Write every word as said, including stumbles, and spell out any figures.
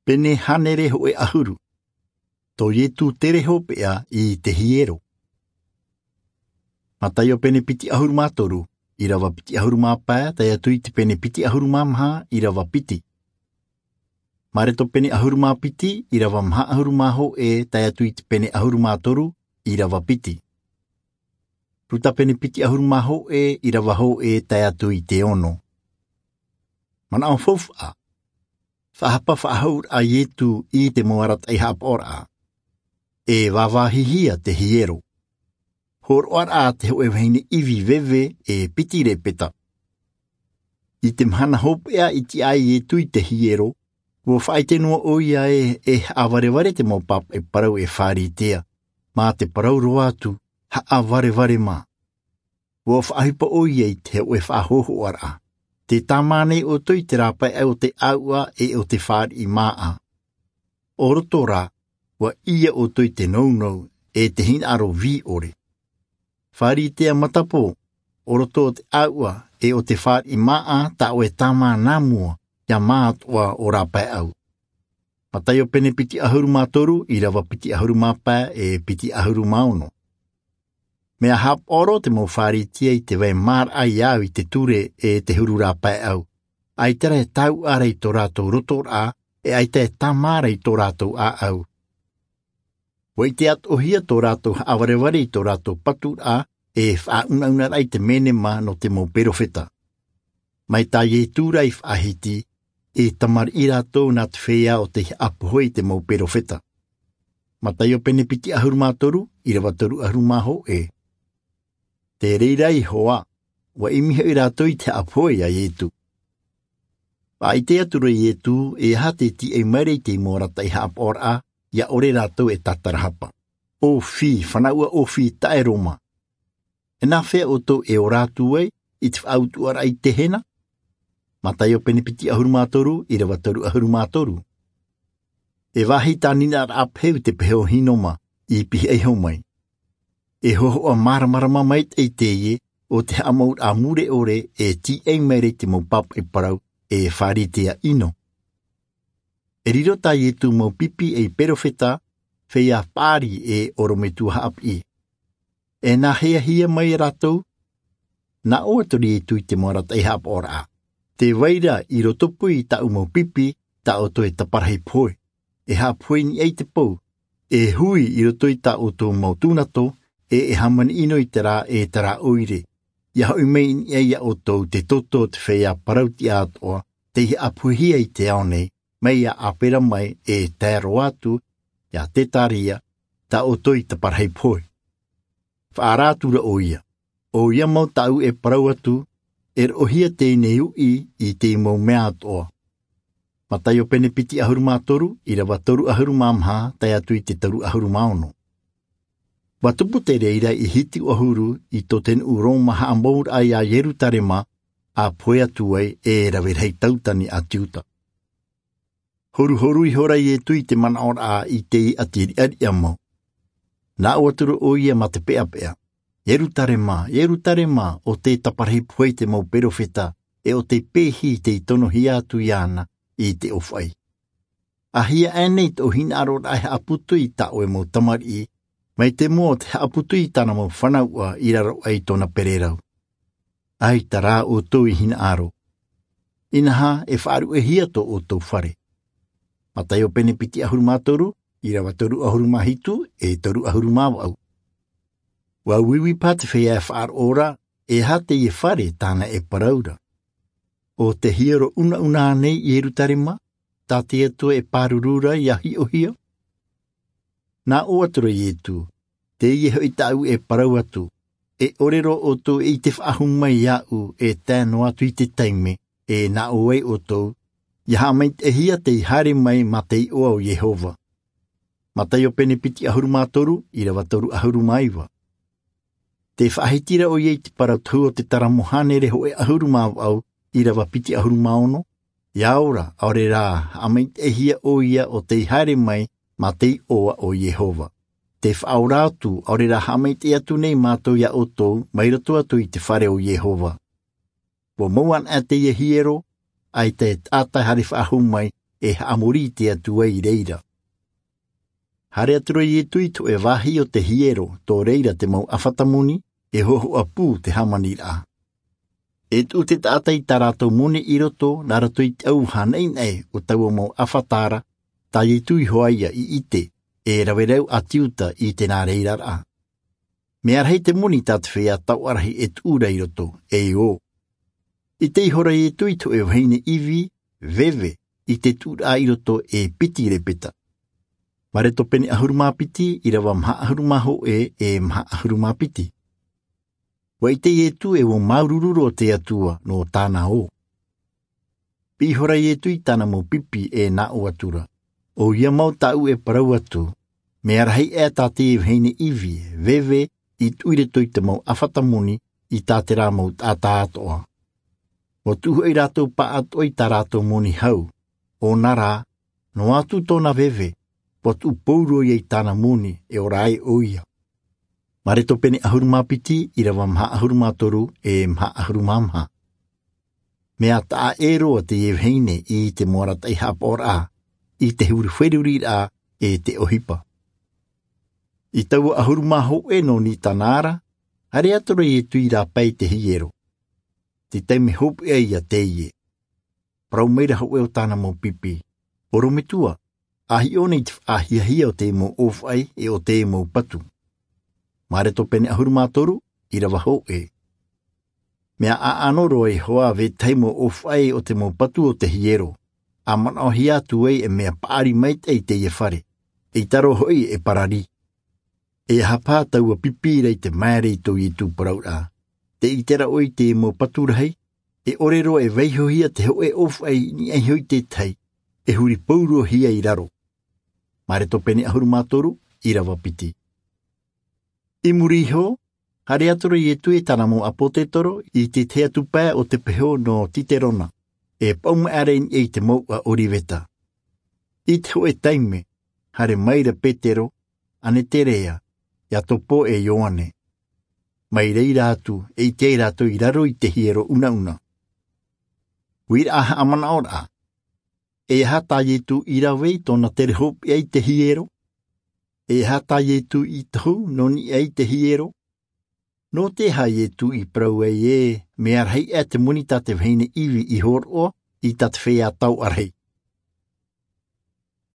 Pene hānere hōʻē ʻahuru. Tō Ietu tere hopeʻa i te hiero. Mataio pene piti ʻahuru mā toru, ʻīrava piti ʻahuru mā pae, tae atu i te pene piti ʻahuru mā maha, ʻīrava piti. Mareto pene ʻahuru mā piti, ʻīrava maha ʻahuru mā hōʻē, tae atu i te pene ʻahuru mā toru, ʻīrava piti. Ruta pene piti ʻahuru mā hōʻē, ʻīrava hōʻē, tae atu i te ono. Manaʻo faufaʻa. Faʻahapa faʻahou a Ietu i te mau arataʻi haʻapaʻoraʻa. E vāvāhihia te hiero. Hōroʻaraʻa te hōʻē vahine ʻivi veve e piti repeta. I te mahana hopeʻa i tiʻa ai Ietu i te hiero, ʻua faʻaʻite noa ʻoia ē, e haʻavarevare te mau pāpaʻi parau e Fāritea, mā te parau roa atu, haʻavarevare mā. ʻUa faʻaʻohipa ʻoia i te hōʻē faʻahōhoʻaraʻa. Tē tāmā nei ʻoutou i te rāpaeʻau o te ʻāuʻa e o te fāriʻi māʻa. ʻO roto rā, ʻua ʻī ʻoutou i te nounou, e te hinaʻaro vī ʻore. Fāritea matapō, ʻo roto o te ʻāuʻa e o te fāriʻi māʻa, tā ʻoe tāmā nā mua, ʻia mātoʻa ʻo rāpaeʻau. Mataio pene piti ʻahuru mā toru, ʻīrava piti ʻahuru mā pae, e piti ʻahuru mā ono. Mea haʻapaʻo roa te mau Fāritea i te vai maraʻa ia au i te ture e te huru rāpaeʻau. ʻAita rā e tāuʻa ra i tō rātou rotoraʻa, e ʻaita e tāmā ra i tō rātou ʻāʻau. ʻUa ʻite atoʻahia tō rātou haʻavarevare i tō rātou paturaʻa, e faʻaunaunaraʻa i te menema nō te mau perofeta. Mai tā Ietu rā i faʻahiti, e tamariʻi rātou nā te feiā o tei haʻapohe i te mau perofeta. Mataio pene piti ʻahuru mā toru, ʻīrava toru ʻahuru mā hōʻē. Te reira iho ā, ʻua ʻimi hoʻi rātou i te haʻapohe ia Ietu. Faʻaʻite atu ra Ietu, e aha te tīaʻi maira i te mau arataʻi haʻapaʻoraʻa, ʻia ʻore rātou e tātarahapa. ʻŌfī, fānaʻoraʻa ʻōfī taʻeroma. E nāfea ʻoutou e ora atu ai, i te faʻautuʻaraʻa i te hena? Mataio pene piti ʻahuru mā toru, ʻīrava toru ʻahuru mā toru. E vāhi tāniraʻa pehe te pehe o Hinoma, i pihaʻi iho mai. E hōhoʻa māramarama maitaʻi teie, o te haʻamauraʻa mure ʻore, e tīaʻi maira i te mau pāpaʻi parau, e Fāritea ʻino. E riro tā Ietu mau pipi ei perofeta, feiā paʻari e ʻorometua haʻapiʻi. E nāheahia mai rātou, nā ʻō atu ra Ietu i te mau arataʻi haʻapaʻoraʻa. Tē vai ra i rotopū i tāʻu mau pipi, tā ʻoutou e taparahi pohe. E haʻapohe i niʻa i te pou. E hui i roto i tā ʻoutou mau tūnato, e e hāmani ʻino i terā e terā ʻoire. ʻIa hoʻi mai i niʻa ia ʻoutou te toto o te feiā parau-tiʻa-atoʻa, tei haʻapohehia i te ao nei, mai ia Aperama e tae roa atu, ia Tetaria, tā ʻoutou i taparahi pohe. Faʻaara atu ra ʻoia. ʻOia mau tāʻu e parau atu, e roʻohia teie nei uʻi i te mau mea atoʻa. Mataio pene piti ʻahuru mā toru, ʻīrava toru ʻahuru mā maha, tae atu i te toru ʻahuru mā ono. ʻUa tupu te reira i hitu ʻahuru i tō te nuʻu Roma haʻamouraʻa ia Ierutarema, ʻa pohe atu ai e rave rahi tautani a te uta. Horuhoru ihora Ietu i te manaʻoraʻa i te ʻati riʻariʻa mau. Nā ʻō atu ra ʻoia mā te peʻapeʻa. Ierutarema, Ierutarema, ʻo tē taparahi pohe i te mau perofeta, e ʻo tē pehi tei tonohia atu iāna i te ʻōfaʻi. ʻA hia aʻe nei tō hinaʻaroraʻa e haʻaputu i tā ʻoe mau tamariʻi, mai te moa o te haʻaputu i tāna mau fānaʻoraʻa i raro aʻe i tōna pererau. ʻAita rā ʻoutou i hinaʻaro. Inaha e faʻaruʻehia tō ʻoutou fare. Mataio pene piti ʻahuru mā toru, ʻīrava toru ʻahuru mā hitu, e toru ʻahuru mā vaʻu. ʻUa uiui paha te feiā e faʻaroʻo ra, e aha teie fare tāna e parau ra. ʻO te hiero ʻunaʻuna nei Ierutarema, tā te Atua e pāruru ra ʻia hiʻohia? Nā ʻō atu ra Ietu, teie hoʻi tāʻu e parau atu, e ʻore roa ʻoutou e ʻite faʻahou mai iāʻu e tae noa atu i te taime, e nā ʻō ai ʻoutou, ʻia haʻamaitaʻihia tei haere mai mā te iʻoa o Iehova. Mataio pene piti ʻahuru mā toru, ʻīrava toru ʻahuru mā iva. Tē faʻahiti ra ʻoia i te parau tohu o te taramo hānere hōʻē ʻahuru mā vaʻu, ʻīrava piti ʻahuru mā ono, ʻia ora, ʻaore rā, haʻamaitaʻihia ʻoia ʻo tei haere mai mā te iʻoa o Iehova. Tē faʻaora atu, ʻaore rā haʻamaitaʻi atu nei mātou iā ʻoutou, mai roto atu i te fare o Iehova. ʻUa mau ana teie hiero, ʻaita e taʻata e haere faʻahou mai, e haʻamori i te Atua i reira. Haere atu ra Ietu i te hoʻe vāhi o te hiero, tō reira te mau ʻāfata moni, e hohoʻa pū te hāmaniraʻa. E tuʻu te taʻata i tā rātou moni i roto, nā roto i te ʻauvaha naʻinaʻi o taua mau ʻāfata ra, tā Ietu iho ā ia i ʻite, e rave rau ʻāti Iuta i te nā reira ra. Mea rahi te moni tā te feiā taoʻa rahi e tuʻu ra i roto, e ʻō. ʻIte ihora Ietu i te hoʻe vahine ivi, veve, i te tuʻuraʻa i roto e piti lepeta. Mareko pene ʻahuru mā piti, ʻīrava maha ʻahuru mā hōʻē, e maha ʻahuru mā piti. ʻUa ʻite Ietu e ʻua māuruuru roa te Atua nō tāna ʻō. Piʻi ihora Ietu i tāna mau pipi e nā ʻō atu ra. ʻOia mau tāʻu e parau atu, mea rahi aʻe tā te vahine ivi, veve, i tuʻu i roto i te mau ʻāfata moni, i tā terā mau taʻata atoʻa. ʻUa tuʻu hoʻi rātou pāʻatoʻa i tā rātou moni hau, ʻōna rā, noa atu tōna veve, ʻua tuʻu pauroa ia i tāna moni, e ora ai ʻoia. Mareko pene ʻahuru mā piti, ʻīrava maha ʻahuru mā toru, e maha ʻahuru mā maha. Mea taʻa ʻē roa teie vahine i te mau arataʻi haʻapaʻoraʻa, i te huri feruriraʻa, e te ʻohipa. I taua ʻahuru mā hōʻē nō Nisana ra, haere atu ra Ietu i rāpae i te hiero. Te taime hopeʻa ia teie. Parau maira hōʻē o tāna mau pipi. ʻOrometua, ʻa hiʻo nei te faʻahiahia o te mau ʻōfaʻi e o te mau patu. Mareko pene ʻahuru mā toru, ʻīrava hōʻē. Mea ʻaʻano roa Iehova vetahi mau ʻōfaʻi o te mau patu o te hiero, ʻa manaʻohia atu ai e mea paʻari maitaʻi i teie fare, ʻeita roa hoʻi e parari. E aha paha taua pipi ra i te maere i tō Ietu parauraʻa? Tē ʻite ra ʻoe i te mau patu rahi, e ʻore roa e vaihohia te hōʻē ʻōfaʻi i niʻa iho i te tahi, e huri pauroahia i raro. Mareko pene ʻahuru mā toru, ʻīrava piti. I muri iho, haere atu ra Ietu e tāna mau ʻāpōsetolo i te tahi atu pae o te peho nō Kiterona, e paʻuma aʻera i niʻa i te mouʻa ʻOriveta. I te hōʻē taime, haere maira Petero, Aneterea, Iakobo e Ioane. Mai reira atu, e ʻite ai rātou i raro i te hiero unauna. Uiraʻa haʻamanaʻoraʻa. E aha tā Ietu i rave i tōna tere hopeʻa i te hiero? E aha tā Ietu i tohu nō niʻa i te hiero? Nō te aha Ietu i parau ai ē, mea rahi aʻe te moni tā te vahine ivi i hōroʻa i tā te feiā taoʻa rahi?